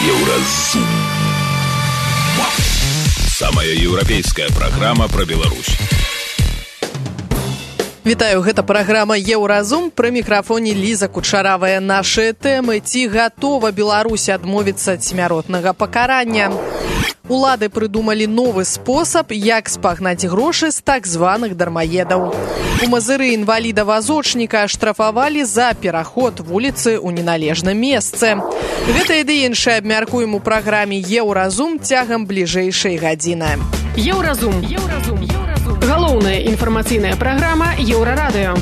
Еўразум. Самая еўрапейская праграма пра Беларусь. Вітаю, гэта праграма «Еўразум», пры мікрафоне Ліза Кучаравая. Нашы тэмы: ці гатова Беларусь адмовіцца ад смяротнага пакарання? Улады прыдумалі новы спосаб, як спагнаць грошы з так званых дармаедаў. У Мазыры інваліда-вазочніка аштрафавалі за пераход вуліцы ў неналежным месцы. Гэта і іншае абмяркуем у праграме «Еўразум» цягам бліжэйшай гадзіны. Еўразум. Галоўная інфармацыйная праграма Еўрарадыё.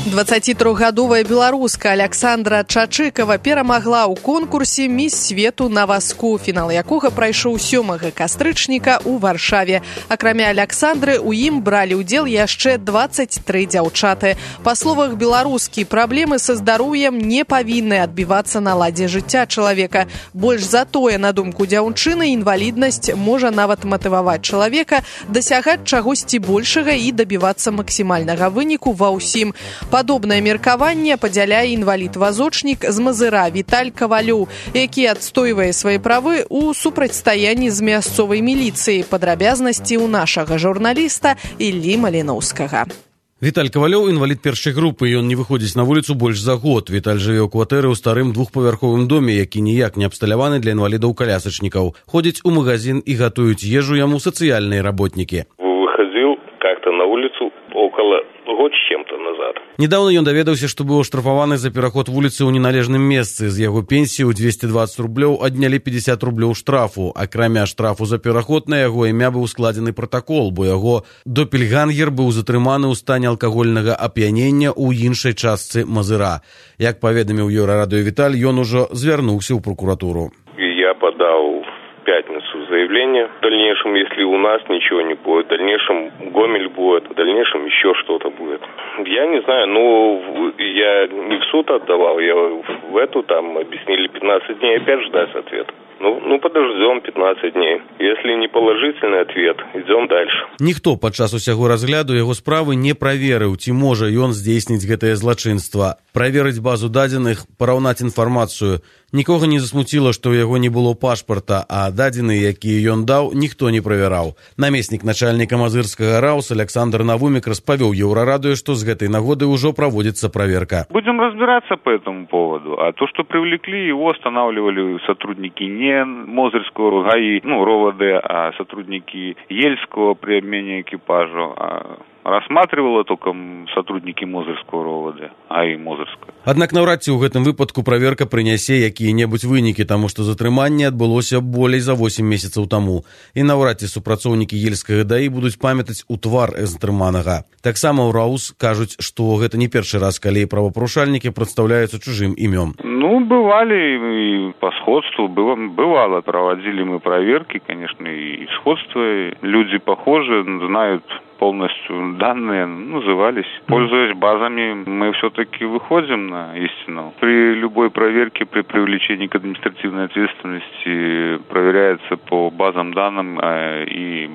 23-гадовая беларуска Аляксандра Чачыкава перамагла ў конкурсе «Міс свету на васку», фінал якога прайшоў 7 кастрычніка ў Варшаве. Акрамя Аляксандры, у ім бралі ўдзел яшчэ 23 дзяўчаты. Па словах беларускі, праблемы са здароўем не павінны адбівацца на ладзе жыцця чалавека. Больш за тое, на думку дзяўчыны, інваліднасць можа нават матываваць чалавека дасягаць чагосьці большага і дабівацца максімальнага выніку ва ўсім. Падобнае меркаванне падзяляе інвалід-вазочнік з Мазыра Віталь Кавалёў, які адстойвае свае правы ў супрацьстаянні з мясцовай міліцыяй. Падрабязнасці ў нашага журналіста Іллі Маліноўскага. Віталь Кавалёў – інвалід першай групы, ён не выходзіць на вуліцу больш за год. Віталь жыве ў кватэры ў старым двухпавярховым доме, які ніяк не абсталяваны для інвалідаў-калясачнікаў. Ходзіць у магазин і гатуюць ежу яму сацыяльныя работнікі. Выходил как-то на улицу около год с чем-то назад. Недавно ён даведаўся, што быў аштрафаваны за пераход вуліцы ў неналежным месцы. З яго пенсіі ў 220 рублёў аднялі 50 рублёў штрафу. Акрамя штрафу за пераход на яго імя быў складзены пратакол, бо яго допельгангер быў затрыманы ў стане алкагольнага ап'янення ў іншай частцы Мазыра. Як паведаміў Еўрарадыё Віталь, ён ужо звярнуўся ў прокуратуру. Я подал в пятницу заявление. В дальнейшем, если у нас ничего не будет, в дальнейшем Гомель будет, в дальнейшем еще что-то будет. Я не знаю, я не в суд отдавал, я в эту, там объяснили 15 дней опять ждать ответа. Подождем 15 дней. Если не положительный ответ, идем дальше. Ніхто падчас усяго разгляду яго справы не праверыў, ці можа ён здзейсніць гэтае злачынства. Праверыць базу дадзеных, параўнаць інфармацыю. Нікога не засмуціла, што ў яго не было пашпарта, а дадзеныя, якія ён даў, ніхто не правяраў. Намеснік начальніка мазырскага РАУС Александр Навумик распавёў Еўрарадыё, што з гэтай нагоды ўжо праводзіцца праверка. Будем разбираться по этому поводу. А то, что привлекли, его останавливали сотрудники не Мозырского ГАИ, РОВД, а сотрудники Ельского при обмене экипажу, рассматривало только сотрудники Мозырского РОВД, АИ Мозырского. Аднак наўрад ці ў гэтым выпадку праверка прынясе якія-небудзь вынікі, таму што затрыманне адбылося болей за 8 месяцаў таму. І наўрад ці супрацоўнікі Ельскага ДАІ будуць памятаць у твар затрыманага. Таксама ў РАУС кажуць, што гэта не першы раз, калі правапарушальнікі прадстаўляюцца чужым імём. Бывали и по сходству, бывало, проводили мы проверки, конечно, и сходство. Люди похожи, знают полностью данные, назывались. Пользуясь базами, мы все-таки выходим на истину. При любой проверке, при привлечении к административной ответственности проверяется по базам данным и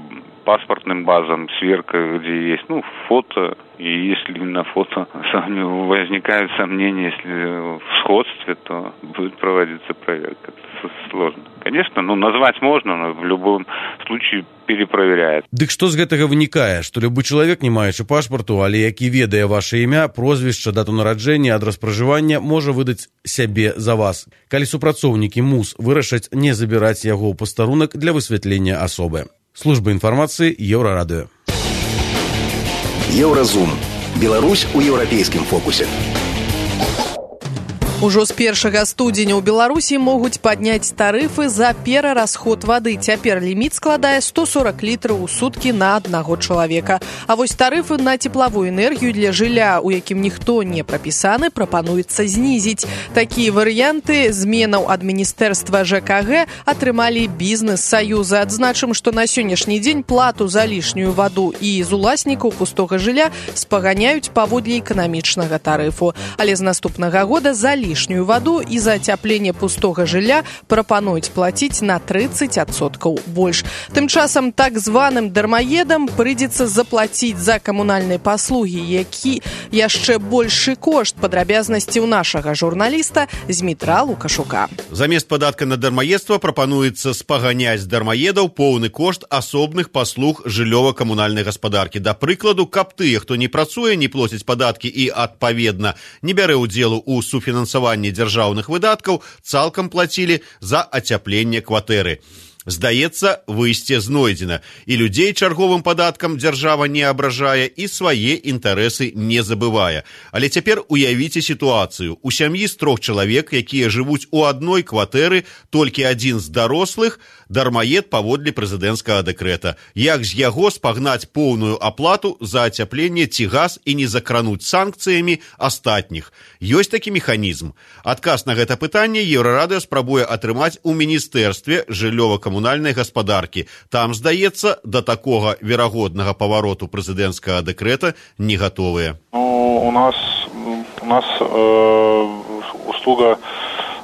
паспортным базам сверка, где есть фото. И если на фото возникают сомнения, если в сходстве, то будет проводиться проверка. Это сложно. Конечно, назвать можно, но в любом случае перепроверяет. Дык што з гэтага вынікае? Што любы чалавек, не маючы пашпарту, але які ведае ваше імя, прозвішча, дату нараджэння, адрас пражывання, можа выдаць сябе за вас. Калі супрацоўнікі МУС вырашаць не забіраць яго ў пастарунак для высвятлення асобы. Служба інфармацыі Еўрарадыё. Еўразум. Беларусь у еўрапейскім фокусе. Ужо з 1 студзеня ў Беларусі могуць падняць тарыфы за перарасход вады. Цяпер ліміт складае 140 літраў у суткі на аднаго чалавека. А вось тарыфы на цеплавую энергію для жылля, у якім ніхто не прапісаны, прапануецца знізіць. Такія варыянты зменаў ад Міністэрства ЖКГ атрымалі бізнес-саюзы. Адзначым, што на сённяшні дзень плату за лішнюю ваду і з уласнікаў пустога жылля спаганяюць паводле эканамічнага тарыфу. Але з наступнага года за лішнюю лішнюю ваду і за ацяпленне пустога жылля прапануюць плаціць на 30% больш. Тым часам так званым дармаедам прыйдзецца заплаціць за камунальныя паслугі, які яшчэ большы кошт. Падрабязнасці ў нашага журналіста Змітра Лукашука. Замест падатка на дармаедства прапануецца спаганяць з дармаедаў поўны кошт асобных паслуг жыллёва-камунальнай гаспадаркі. Да прыкладу, каб тыя, хто не працуе, не плоціць падаткі і, адпаведна, не бярэ ўдзелу ў суфінансаванні дзяржаўных выдаткаў, цалкам плацілі за ацяпленне кватэры. Здаецца, выйсце знойдзена. І людзей чарговым падаткам дзяржава не абражае і свае інтарэсы не забывае. Але цяпер уявіце сітуацыю. У сям'і з 3 чалавек, якія жывуць у адной кватэры, толькі адзін з дарослых дармаед паводле прэзідэнцкага дэкрэта. Як з яго спагнаць поўную аплату за ацяпленне ці газ і не закрануць санкцыямі астатніх? Ёсць такі механізм. Адказ на гэта пытанне Еўрарадыё спрабуе атрымаць у міністэрстве жыллёва-камунальнай гаспадаркі. Там, здаецца, да такога верагоднага павароту прэзідэнцкага дэкрэта не гатовыя. У нас услуга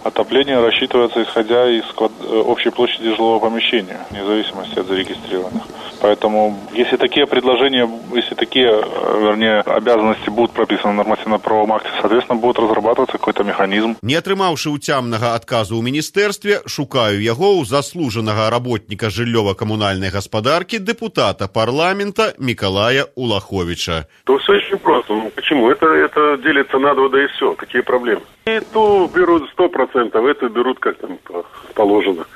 отопления рассчитывается исходя из общей площади жилого помещения, вне зависимости от зарегистрированных. Поэтому, если такие предложения, обязанности будут прописаны в нормативно-правовом акте, соответственно, будет разрабатываться какой-то механизм. Не атрымаўшы ўцямнага адказу ў міністэрстве, шукаю яго ў заслужанага работніка жыллёва-камунальнай гаспадаркі, депутата парламента Миколая Улаховича. То все очень просто. Почему? Это делится на 2, да и все. Какие проблемы? И то берут 100%, это берут как там положено.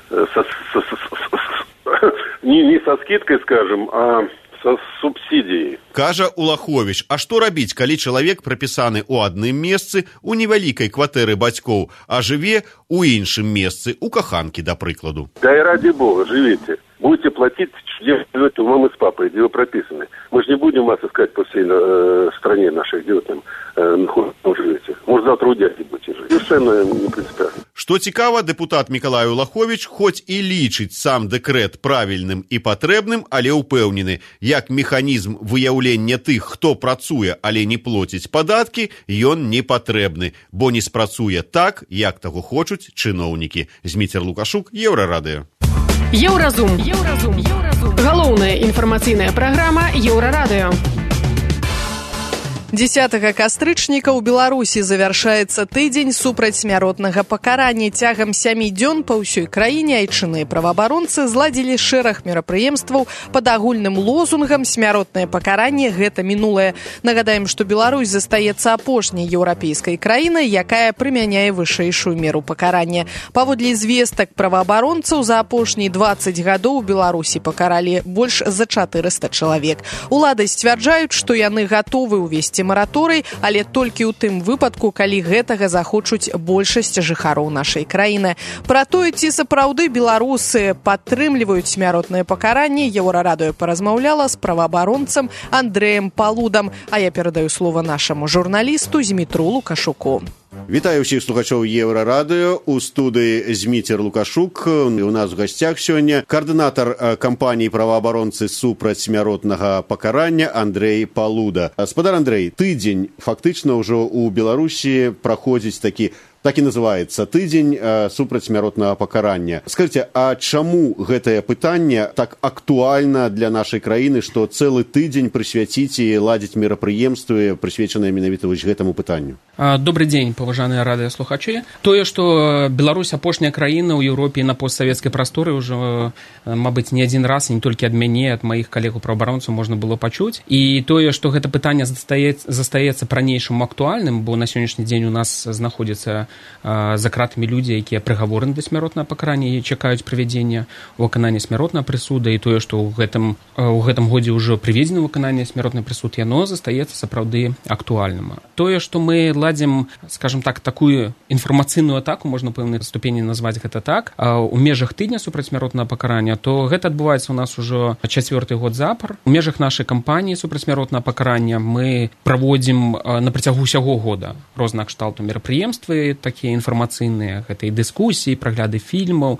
Не со скидкой, скажем, а со субсидией. Кажа Улахович, а што рабіць, калі чалавек прапісаны ў адным месцы у невялікай кватэры бацькоў, а жыве у іншым месцы, у Каханкі, да прыкладу? Да и ради бога, живите. Будете платить, где живете у мамы с папой, где вы прописаны. Мы же не будем вас искать по всей стране нашей, где вы там живете. Может, завтра у дяди будете жить. Совершенно не принципиально. Што цікава, депутат Миколай Улахович хоць і лічыць сам дэкрэт правільным і патрэбным, але ўпэўнены, як механізм выяўлення тых, хто працуе, але не плоціць падаткі, ён не патрэбны, бо не спрацуе так, як таго хочуць чыноўнікі. Зміцер Лукашук, Еўрарадыё. Еўразум. Галоўная інфармацыйная праграма Еўрарадыё. 10 кастрычніка ў Беларусі завяршаецца тыдзень супрацьсмяротнага пакарання. Цягам 7 дзён па ўсёй краіне айчынныя праваабаронцы зладзілі шэраг мерапрыемстваў пад агульным лозунгам «Смяротнае пакаранне – гэта мінулае». Нагадаем, што Беларусь застаецца апошняй еўрапейскай краінай, якая прымяняе вышэйшую меру пакарання. Паводле звестак праваабаронцаў, за апошнія 20 гадоў у Беларусі пакаралі больш за 400 чалавек. Улады сцвярджаюць, што яны гатовы ўвесці мараторый, але толькі ў тым выпадку, калі гэтага захочуць большасць жыхароў нашай краіны. Пра тое, ці сапраўды беларусы падтрымліваюць смяротнае пакаранне, Еўрарадыё паразмаўляла з праваабаронцам Андрэем Палудам. А я перадаю слова нашаму журналісту Змітру Лукашуку. Вітаю ўсіх слухачоў Еўрарадыё. У студыі Зміцер Лукашук. У нас у гасцях сёння каардынатар кампаніі праваабаронцы супраць смяротнага пакарання Андрэй Палуда. Спадар Андрэй, тыдзень фактычна ўжо ў Беларусі праходзіць так і называецца тыдзень супраць смяротнага пакарання. Скажыце, а чаму гэтае пытанне так актуальна для нашай краіны, што цэлы тыдзень прысвяціць і ладзіць мерапрыемствы, прысвечаныя менавіта вось гэтаму пытанню? Добрый дзень, паважаныя радыёслухачы. Тое, што Беларусь апошняя краіна ў Еўропе і на постсавецкай прасторы ўжо, мабыць, не адзін раз, не толькі ад мяне, ад маіх калегаў-праваабаронцаў можна было пачуць. І тое, што гэта пытанне застаецца па-ранейшаму актуальным, бо на сённяшні дзень у нас знаходзіцца за кратамі людзі, якія прыгавораны да смяротнага пакарання і чакаюць правядзення выканання смяротнага прысуда, і тое, што ў гэтым годзе ўжо прыведзена выкананне смяротнага прысуд, яно застаецца сапраўды актуальным. Тое, што мы ладзім, скажем так, такую інфармацыйную атаку, можна пэўнай ступені назваць гэта так, у межах тыдня супраць смяротнага пакарання, то гэта адбываецца ў нас ужо 4-й год запар. У межах нашай кампаніі супраць смяротнага пакарання мы праводзім на працягу ўсяго года рознага кшталту мерапрыемствы, такія інфармацыйныя, гэта і дыскусіі, прагляды фільмаў,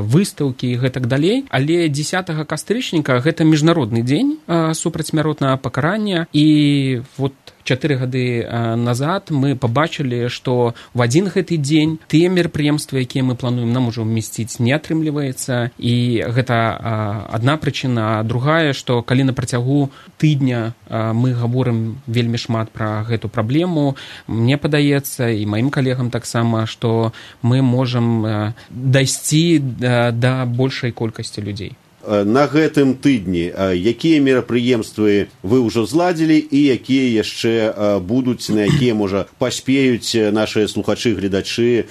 выстаўкі і гэтак далей. Але 10 кастрычніка гэта міжнародны дзень супраць смяротнага пакарання, і вот 4 гады назад мы пабачылі, што в адзін гэты дзень тыя мерапрыемствы, якія мы плануем, нам ужо вмесціць не атрымліваецца. І гэта адна прычына. Другая, што калі на працягу тыдня мы гаворым вельмі шмат пра гэту праблему, мне падаецца, і маім калегам таксама, што мы можам дайсці да большай колькасці людзей. На гэтым тыдні якія мерапрыемствы вы ўжо зладзілі і якія яшчэ будуць, на якія, можа, паспеюць нашыя слухачы, гледачы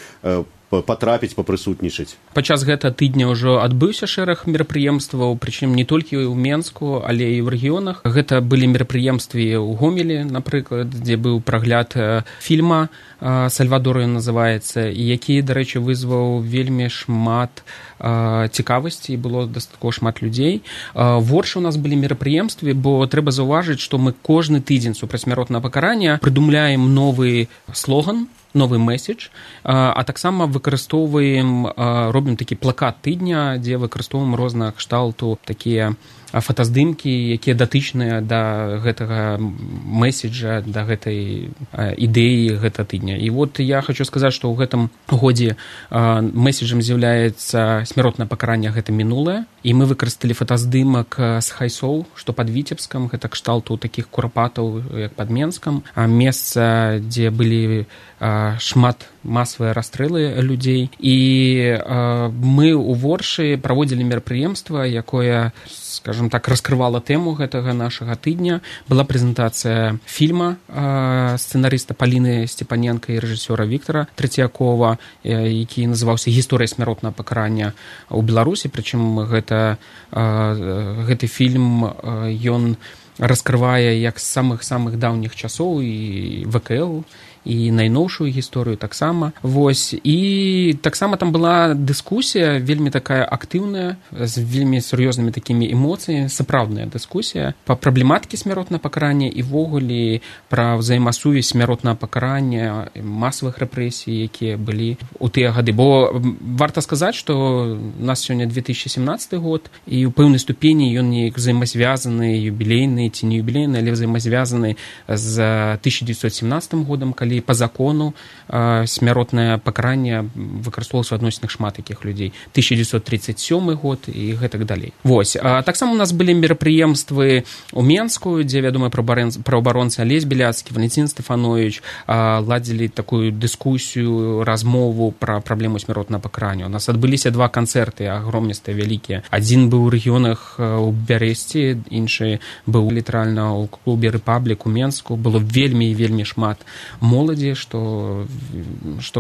патрапіць, папрысутнічаць? Падчас гэтага тыдня ўжо адбыўся шэраг мерапрыемстваў, прычым не толькі ў Менску, але і ў рэгіёнах. Гэта былі мерапрыемствы ў Гомелі, напрыклад, дзе быў прагляд фільма «Сальвадор» ён называецца, і які, дарэчы, вызваў вельмі шмат цікавасці, і было дастаткова шмат людзей. Горш у нас былі мерапрыемствы, бо трэба заўважыць, што мы кожны тыдзень супраць смяротнага пакарання прыдумляем новы слоган, новы месседж, а таксама выкарыстоўваем, робім такі плакат тыдня, дзе выкарыстоўваем рознага кшталту такія фотаздымкі, якія датычныя да гэтага месседжа, да гэтай ідэі гэта тыдня. І вот я хочу сказаць, што ў гэтым годзе месседжам з'яўляецца смяротнае пакаранне, гэта мінулае, і мы выкарысталі фотаздымак з хайсоў, што пад Віцебскам, гэта кшталту такіх курапатаў, як пад Менскам, месца, дзе былі шмат масавыя расстрэлы людзей. І мы ў Воршы праводзілі мерапрыемства, якое, скажем так, раскрывала тэму гэтага нашага тыдня. Была прэзентацыя фільма сцэнарыста Паліны Степаненка і рэжысёра Віктара Трэцякова, які называўся «Гісторыя смяротнага пакарання ў Беларусі». Прычым гэты фільм, ён раскрывае як з самых даўніх часоў і ВКЛ, і найноўшую гісторыю таксама. Вось. І таксама там была дыскусія вельмі такая актыўная, з вельмі сур'ёзнымі такімі эмоцыямі, сапраўдная дыскусія па праблематыкі смяротнага пакарання і ввогуле пра ўзаемасувязь смяротнага пакарання, масавых рэпрэсій, якія былі ў тыя гады. Бо варта сказаць, што у нас сёння 2017 год, і ў пэўнай ступені ён неяк взаемазвязаны, юбілейны ці не юбілейны, але взаемазвязаны з 1917 годам, калі па закону смяротнае пакаранне выкарыстоўвалася ў адносінах шмат якіх людзей. 1937 год і гэтак далей. Вось. Таксама у нас былі мерапрыемствы ў Менску, дзе вядомыя праваабаронцы Алесь Беляцкі, Валентин Стефанович ладзілі такую дыскусію, размову пра праблему смяротнага пакарання. У нас адбыліся 2 канцэрты агромністыя, вялікія. Адзін быў у рэгіёнах у Бярэсці, іншы быў літаральна ў клубе «Рэпаблік» у Менску. Было вельмі шмат моладзі, што,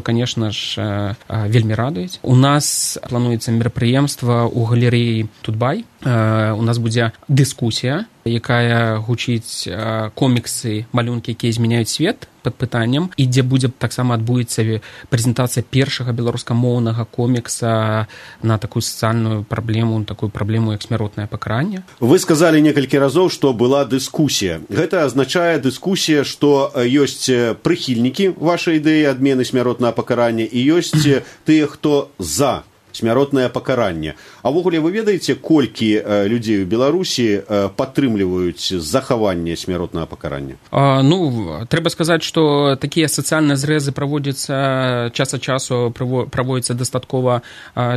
конечно ж, вельмі радуюць. У нас плануецца мерапрыемства ў галерэі Тутбай. У нас будзе дыскусія, якая гучыць коміксы, малюнкі, якія змяняюць свет, пад пытаннем, і дзе будзе таксама адбудзецца прэзентацыя першага беларускамоўнага комікса на такую сацыяльную праблему, такую праблему, як смяротнае пакаранне. Вы сказалі некалькі разоў, што была дыскусія. Гэта азначае дыскусія, што ёсць прыхільнікі вашай ідэі адмены смяротнага пакарання і ёсць тыя, хто за смяротнае пакаранне. А ўвогуле вы ведаеце, колькі людзей у Беларусі падтрымліваюць захаванне смяротнага пакарання? Трэба сказаць, што такія сацыяльныя зрэзы праводзяцца час ад часу, праводзяцца дастаткова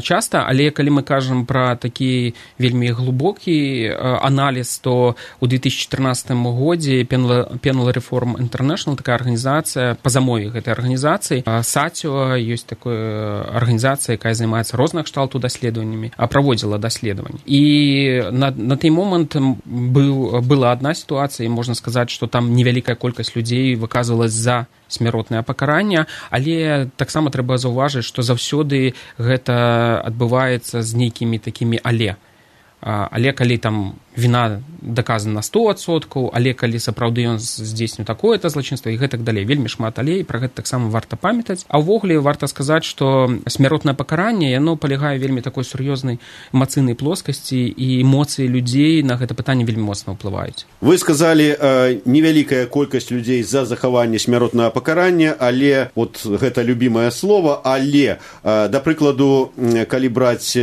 часта, але калі мы кажам пра такі вельмі глыбокі аналіз, то ў 2014 годзе Penal Reform International, такая арганізацыя, па замове гэтай арганізацыі, САЦІО, ёсць такая арганізацыя, якая займаецца розных кшталту даследаваннямі, праводзіла даследаванні. І на той момант была адна сітуацыя, і можна сказаць, што там невялікая колькасць людзей выказвалась за смяротнае пакаранне, але таксама трэба заўважыць, што заўсёды гэта адбываецца з нейкімі такімі але. Але калі там віна даказана на 100%, але калі сапраўды ён здзейсніў такое-то злачынства і гэтак далей. Вельмі шмат але, і пра гэта таксама варта памятаць. А ўвогуле варта сказаць, што смяротнае пакаранне, яно палягае вельмі такой сур'ёзнай эмацыйнай плоскасці, і эмоцыі людзей на гэта пытанне вельмі моцна ўплываюць. Вы сказалі, невялікая колькасць людзей за захаванне смяротнага пакарання, але, вот гэта любімае слово, але, да прыкладу, калі браць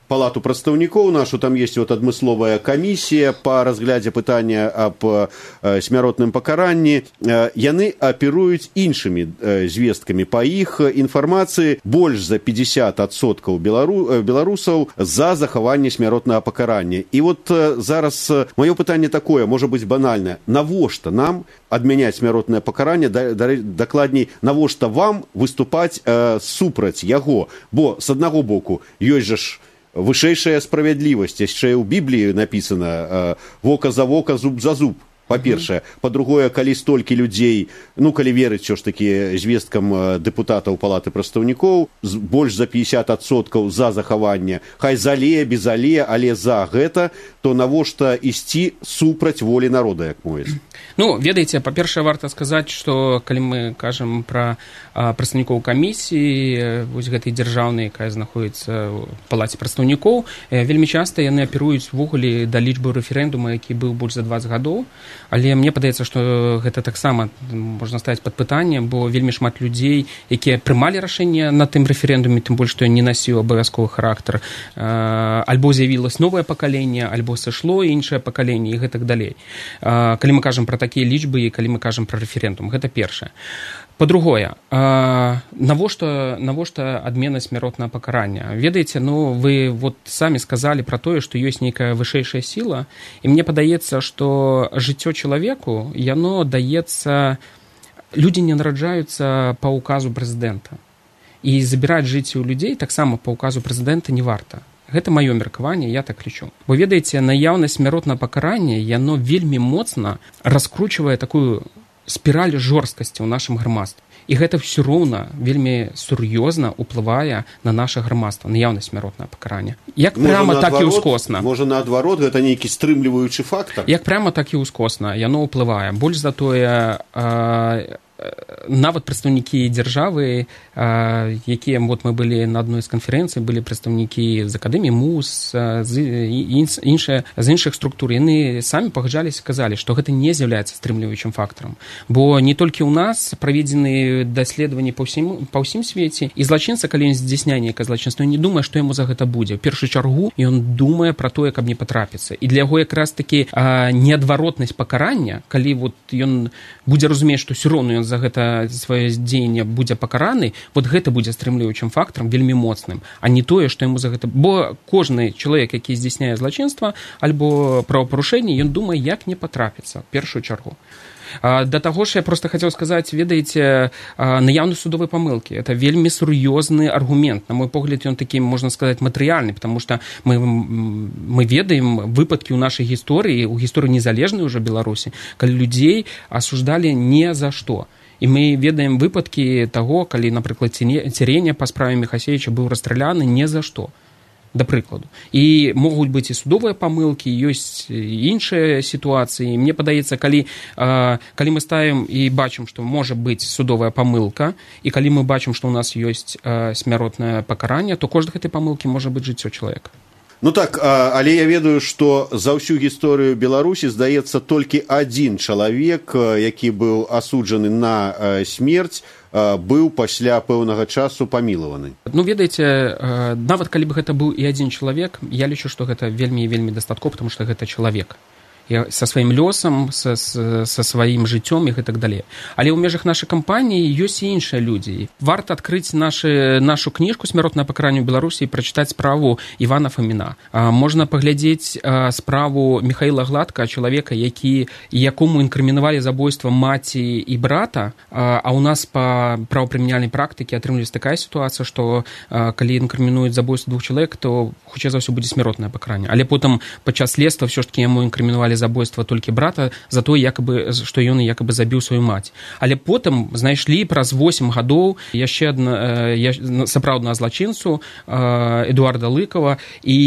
палату прадстаўнікоў нашу, там есть вот адмысловая камісія па разглядзе пытання аб смяротным пакаранні. Яны аперуюць іншымі звесткамі. Па іх інфармацыі больш за 50% беларусаў за захаванне смяротнага пакарання. І вот зараз маё пытанне такое, можа быць банальнае. Навошта нам адмяняць смяротнае пакаранне, дакладней, навошта вам выступаць супраць яго? Бо, з аднаго боку, ёсць жа ж вышэйшая справядлівасць, яшчэ ў Бібліі напісана вока за вока, зуб за зуб. Па-першае. Па-другое, калі столькі людзей, калі верыць ўсё ж такі звесткам дэпутатаў палаты прадстаўнікоў, больш за 50% за захаванне, хай зале, без але за гэта, то навошта ісці супраць волі народа, як мовіць? Ведаеце, па-першае, варта сказаць, што калі мы кажам пра прадстаўнікоў камісіі, вось гэтай дзяржаўнай, якая знаходіцца ў палаце прадстаўнікоў, вельмі часта яны аперуюць увогуле да лічбы рэферэндума, які быў больш за 20 гадоў. Але мне падаецца, што гэта таксама можна ставіць пад пытанне, бо вельмі шмат людзей, якія прымалі рашэнне на тым рэферэндуме, тым больш, што не насіў абавязковы характар, альбо з'явілось новае пакаленне, альбо сышло іншае пакаленне і гэтак далей. Калі мы кажам пра такія лічбы і калі мы кажам пра рэферэндум, гэта першае. Па-другое, навошта адмена смяротнага пакарання? Ведаеце, вы вот самі сказалі пра тое, што ёсць нейкая вышэйшая сіла, і мне падаецца, што жыццё чалавеку, яно даецца... Людзі не нараджаюцца па ўказу прэзідэнта. І забіраць жыцці ў людзей таксама па ўказу прэзідэнта не варта. Гэта маё меркаванне, я так лічу. Бо, ведаеце, наяўнасць смяротнага пакарання, яно вельмі моцна раскручвае такую спіраль жорсткасці ў нашым грамадстве. І гэта ўсё роўна вельмі сур'ёзна ўплывае на наша грамадства, наяўнасць смяротнага пакарання. Як пряма, так і ўскосна. Можа, наадварот, гэта нейкі стрымліваючы фактар? Як пряма, так і ўскосна. Яно ўплывае. Больш за тое, нават прадстаўнікі дзяржавы, якія мы былі на адной з канферэнцый, былі прадстаўнікі з акадэміі МУС, з іншых структур, яны самі пагаджаліся, казалі, што гэта не з'яўляецца стрымліваючым фактарам. Бо не толькі ў нас праведзены даследаванні па ўсім свеце, і злачынца, калі ён здзяйсняе нейкае злачынства, не думае, што яму за гэта будзе. У першую чаргу ён думае пра тое, каб не патрапіцца. І для яго якраз такі неадваротнасць пакарання, калі ён будзе разумець, што ўсё роўна ён за гэта сваё дзеянне будзе пакараны, вот гэта будзе стрымліваючым фактарам вельмі моцным, а не тое, што яму за гэта... Бо кожны чалавек, які здзяйсняе злачынства альбо правапарушэнне, ён думае, як не патрапіцца, в першую чаргу. Да таго ж я просто хацеў сказаць, ведаеце, наяўнасць судовай памылкі. Это вельмі сур'ёзны аргумент. На мой погляд, ён такі, можна сказаць, матэрыяльны, потому что мы ведаем выпадкі ў нашай гісторыі, у гісторыі незалежнай уже Беларусі, калі людзей асуждалі не за што. І мы ведаем выпадкі таго, калі, напрыклад, Цереня па справе Міхасевіча быў расстраляны не за што. Да прыкладу. І могуць быць і судовыя памылкі, ёсць іншыя сітуацыі. Мне падаецца, калі мы ставім і бачым, што можа быць судовая памылка, і калі мы бачым, што ў нас ёсць смяротнае пакаранне, то кожнай гэтай памылкі можа быць жыццё чалавека. Так, але я ведаю, што за ўсю гісторыю Беларусі, здаецца, толькі адзін чалавек, які быў асуджаны на смерць, быў пасля пэўнага часу памілаваны. Ведаеце, нават калі б гэта быў і адзін чалавек, я лічу, што гэта вельмі і вельмі дастаткова, потому што гэта чалавек. Са сваім лёсам, са сваім жыццём і гэтак далей. Але ў межах нашай кампаніі ёсць і іншыя людзі. Варта адкрыць нашу кніжку «Смяротнае пакаранне ў Беларусі» і прачытаць справу Івана Фаміна. Можна паглядзець справу Міхаіла Гладка, чалавека, якому інкрымінавалі забойства маці і брата, а ў нас па правапрымяняльнай практыкі атрымліваецца такая сітуацыя, што калі інкрымінуюць забойства двух чалавек, то хутчэй за ўсё будзе смяротнае пакаранне. Але потым падчас следства ўсё ж такі яму інкрымінавалі забойства толькі брата за тое, што ён якабы забіў сваю маці. Але потым знайшлі праз 8 гадоў яшчэ сапраўднага злачынцу Эдуарда Лыкова, і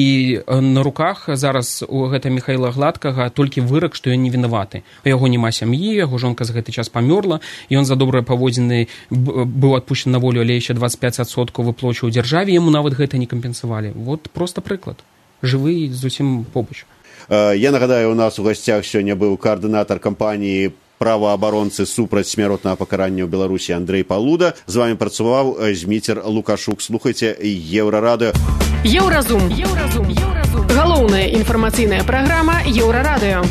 на руках зараз у гэта Міхаіла Гладкага толькі вырак, што ён не вінаваты. У яго няма сям'і, яго жонка за гэты час памёрла, ён за добрыя паводзіны быў адпушчаны на волю, але яшчэ 25% выплачваў дзяржаве, яму нават гэта не кампенсавалі. Вот проста прыклад. Жывы зусім побач. Я нагадаю, у нас у гасцях сёння быў каардынатар кампаніі праваабаронцы супраць смяротнага пакарання ў Беларусі Андрэй Палуда. З вами працаваў Зміцер Лукашук. Слухайце Еўрарадыё. Еўразум. Галоўная інфармацыйная праграма Еўрарадыё.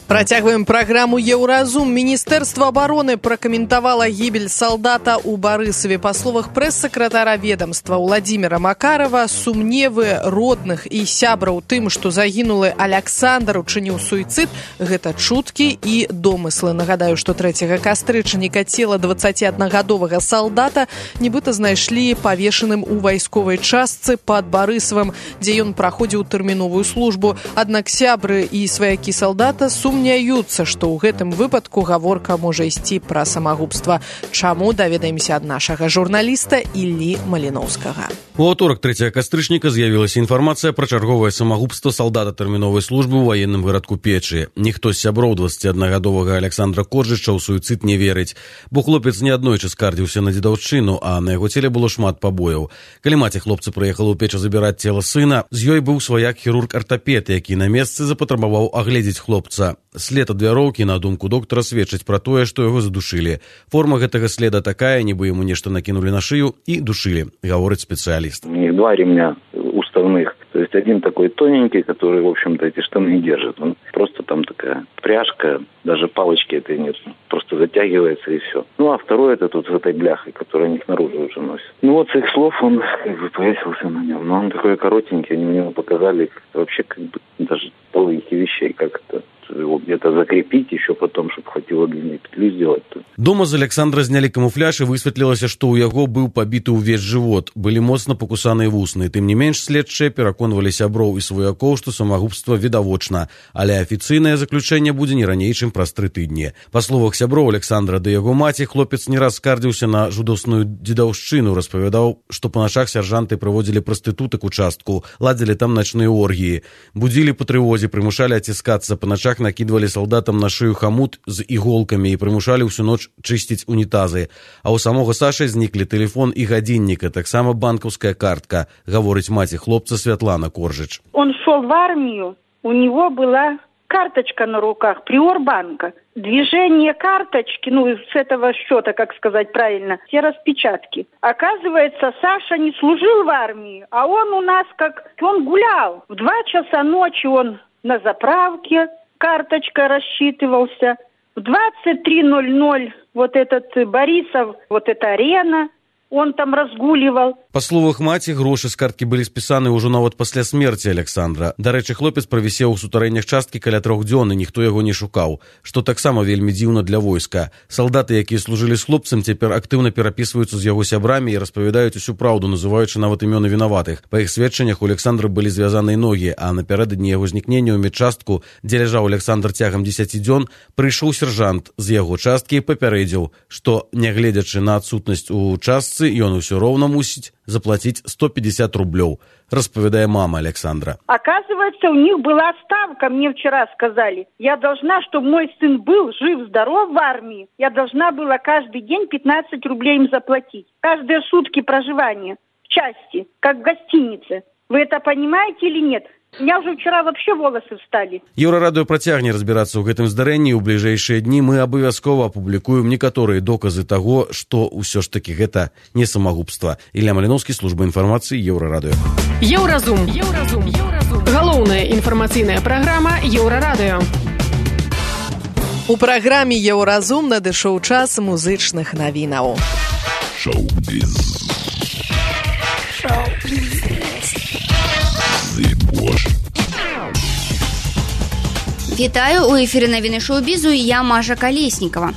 Працягваем праграму «Еўразум». Міністэрства абароны пракаментавала гібель салдата ў Барысаве. Па словах прэс-сакратара ведомства Владзіміра Макарова, сумневы родных і сябраў тым, што загінулы Аляксандр учыніў суіцыд, гэта чуткі і домыслы. Нагадаю, што 3 кастрычніка цела 21-гадовага салдата нібыта знайшлі павешаным у вайсковай частцы пад Барысавым, дзе ён праходзіў тэрміновую службу. Аднак сябры і сваякі салдата сумняюцца, што ў гэтым выпадку гаворка можа ісці пра самагубства. Чаму, даведаемся ад нашага журналіста Іллі Маліноўскага. У аўторак 3 кастрычніка з'явілася інфармацыя пра чарговае самагубства салдата тэрміновай службы ў ваенным гарадку Печы. Ніхто з сяброў 21-гадовага Аляксандра Коржыча ў суіцыд не верыць, бо хлопец неаднойчы скардзіўся на дзедаўшчыну, а на яго целе было шмат пабояў. Калі маці хлопца прыехала ў Печу забіраць цела сына, з ёй быў сваяк хірург-артапед, які на месцы запатрабаваў агледзець хлопца. След ад вяроўкі, на думку доктара, сведчыць пра тое, што яго задушылі. Форма гэтага следа такая, нібы яму нешта накінулі на шыю і душылі, гаворыць спецыяліст. У них 2 ремня уставных. То есть один такой тоненький, который, в общем-то, эти штаны держит. Он просто там такая пряжка, даже палочки этой нет. Просто затягивается и все. Ну, а второй это тут с этой бляхой, которую они наружу уже носят. Ну, вот с их слов он как бы повесился на нем. Но он такой коротенький, они мне показали вообще как бы даже половинки вещей, как это его где-то закрепить еще потом, чтобы хватило длинной петлю сделать. Дома з Аляксандра знялі камуфляж і высветлілася, што ў яго быў пабіты ўвесь жывот. Былі моцна пакусаныя вусны. Тым не менш, следчыя пераконвалі сяброў і сваякоў, што самагубства відавочна, але афіцыйнае заключэнне будзе не раней, чым праз 3 тыдні. Па словах сяброў Аляксандра ды яго маці, хлопец не раз скардзіўся на жудасную дзедаўшчыну, распавядаў, што па начах сяржанты прыводзілі прастытутак у частку, ладзілі там начныя оргіі, будзілі па трывозе, прымушалі аціскацца па начах, накидывали солдатам на шею хомут з иголками и примушали всю ночь чистить унитазы. А у самого Саши зникли телефон и годинник, а так само банковская картка, говорит мать хлопца Святлана Коржич. Он шел в армию, у него была карточка на руках, Приорбанка. Движение карточки, с этого счета, как сказать правильно, все распечатки. Оказывается, Саша не служил в армии, а он у нас он гулял. В 2 часа ночи он на заправке, карточка рассчитывался. В 23:00 вот этот Борисов, вот эта арена, он там разгуливал. Па словах маці, грошы з карткі былі спісаны ўжо нават пасля смерці Аляксандра. Дарэчы, хлопец правісеў у сутарэннях часткі каля 3 дзён, і ніхто яго не шукаў, што таксама вельмі дзіўна для войска. Салдаты, якія служылі з хлопцам, цяпер актыўна перапісваюцца з яго сябрамі і распавядаюць усю праўду, называючы нават імёны вінаватых. Па іх сведчаннях у Аляксандра былі звязаныя ногі, а напярэдадні яго знікнення ў медчастку, дзе ляжаў Аляксандр цягам 10 дзён, прыйшоў сержант з яго часткі і папярэдзіў, што, нягледзячы на адсутнасць у частцы, ён усё роўна мусіць заплатить 150 рублей, распавядае мама Александра. Оказывается, у них была ставка, мне вчера сказали. Я должна, чтобы мой сын был жив-здоров в армии, я должна была каждый день 15 рублей им заплатить. Каждые сутки проживания в части, как в гостинице. Вы это понимаете или нет? У меня уже вчера вообще волосы встали. Еўрарадыё працягне разбірацца ў гэтым здарэнні. У бліжэйшыя дні мы абавязкова апублікуем некаторыя доказы таго, што ўсё ж такі гэта не самагубства. Ілля Маліноўскі, служба інфармацыі, Еўрарадыё. Еўразум. Галоўная інфармацыйная праграма Еўрарадыё. У праграме Еўразум надышоў час музычных навінаў. Шоу-біз. Вітаю, у эфіры навіны шоу-бізу і я Маша Калеснікава.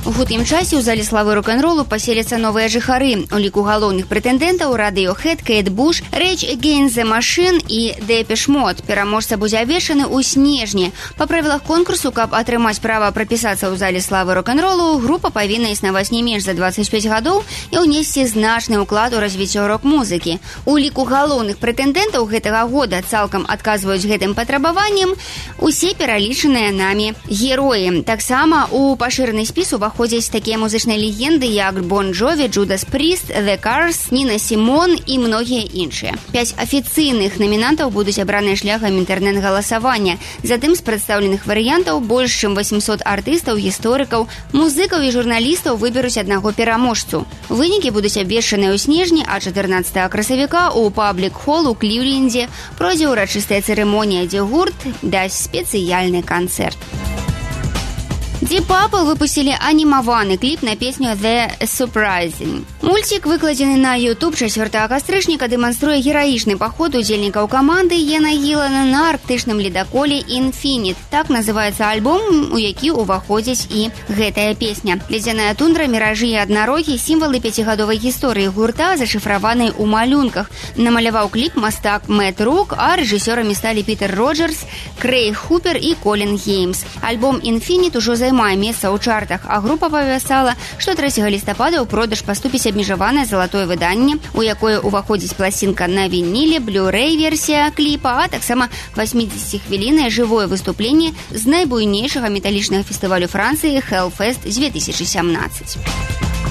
У хуткім часе ў зале славы рок-н-ролу паселяцца новыя жыхары. У ліку галоўных прэтэндэнтаў Radiohead, Кейт Буш, Rage Against the Machine і Depeche Mode. Пераможца будзе абвешчаны ў снежні. Па правілах конкурсу, каб атрымаць права прапісацца ў зале славы рок-н-ролу, група павінна існаваць не менш за 25 гадоў і ўнесці значны ўклад у развіццё рок-музыкі. У ліку галоўных прэтэндэнтаў гэтага года цалкам адказваюць гэтым патрабаванням усе пералічаныя намі героі. Таксама у пашыраны спіс уваходзяць уваходзяць такія музычныя легенды, як Бон Джові, Джудас Пріст, The Cars, Ніна Сімон і многія іншыя. 5 афіцыйных намінантаў будуць абраныя шляхам інтэрнэт-галасавання. Затым з прадстаўленых варыянтаў больш чым 800 артыстаў, гісторыкаў, музыкаў і журналістаў выберуць аднаго пераможцу. Вынікі будуць абвешчаныя ў снежні, а 14 красавіка у паблік-хол у Клівлендзе пройдзе ўрачыстая цырымонія, дзе гурт дасць спецыяльны канцэрт. Deep Purple выпустили анимованный клип на песню The Surprising. Мультик, выкладзены на YouTube 4 кастрычніка, дэманструе гераічны паход удзельнікаў каманды Йена Гілана на арктычным ледаколе Infinite. Так называецца альбом, у які ўваходзіць і гэтая песня. Ледзяная тундра, міражы і аднарогі — сімвалы 5гадовай гісторыі гурта, зашыфраванай у малюнках. Намаляваў кліп мастак Мэтт Рук, а рэжысёрамі сталі Пітер Роджерс, Крэйг Хупер і Колін Геймс. Альбом Infinite ужо займае месца ў чартах, а група павясала, што 3 лістапада ў продаж паступіць абмежаванае залатое выданне, у якое ўваходзіць пласінка на вініле, блю-рэй-версія кліпа, а таксама 80-хвіліннае жывое выступленне з найбуйнейшага металічнага фестывалю Францыі Hellfest 2017.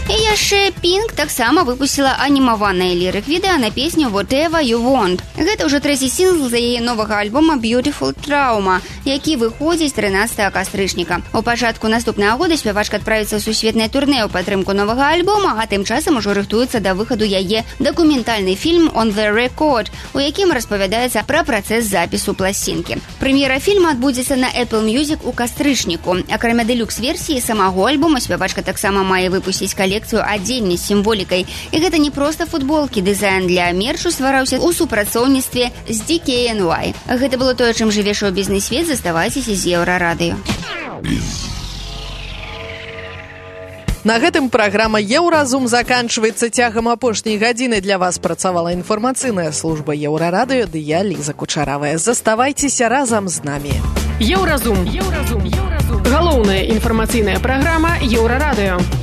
І яшчэ Pink таксама выпусціла анімаванае лірык-відэа на песню Whatever You Want. Гэта ўжо 3-й сінгл за яе новага альбома Beautiful Trauma, які выходзіць 13 кастрычніка. У пачатку наступнага года спявачка адправіцца ў сусветнае турнэ ў падтрымку новага альбома, а тым часам ужо рыхтуецца да выхаду яе дакументальны фільм On The Record, у якім распавядаецца пра працэс запісу пласцінкі. Прэм'ера фільма адбудзецца на Apple Music у кастрычніку. Акрамя дэлюкс-версіі самого альбома спявачка таксама мае выпусціць колекцыю адзення з сімволікай. І гэта не проста футболкі, дызайн для мерчу ствараўся ў супрацоўніцтве з DKNY. Гэта было тое, чым жыве шоу-бізнес-свет. Заставайцеся з Еўрарадыё. На гэтым праграма «Еўразум» заканчваецца. Цягам апошняй гадзіны для вас працавала інфармацыйная служба Еўрарадыё ды я, Ліза Кучаравая. Заставайцеся разам з намі. Еўразум. Галоўная інфармацыйная праграма Еўрарадыё.